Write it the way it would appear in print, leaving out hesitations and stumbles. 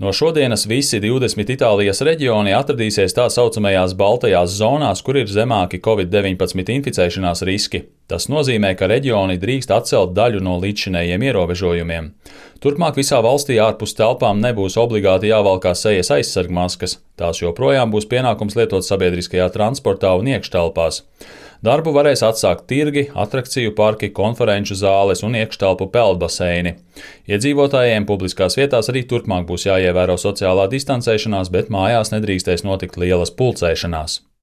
No šodienas visi 20 Itālijas reģioni atradīsies tā saucamajās baltajās zonās, kur ir zemāki Covid-19 inficēšanās riski. Tas nozīmē, ka reģioni drīkst atcelt daļu no līdzšinējiem ierobežojumiem. Turpmāk visā valstī ārpus telpām nebūs obligāti jāvalkā sejas aizsargmaskas. Tās joprojām būs pienākums lietot sabiedriskajā transportā un iekštelpās. Darbu varēs atsākt tirgi, atrakciju parki, konferenču zāles un iekštelpu peldbaseini. Iedzīvotājiem publiskās vietās arī turpmāk būs jāievēro sociālā distancēšanās, bet mājās nedrīkstēs notikt lielas pulcēšanās.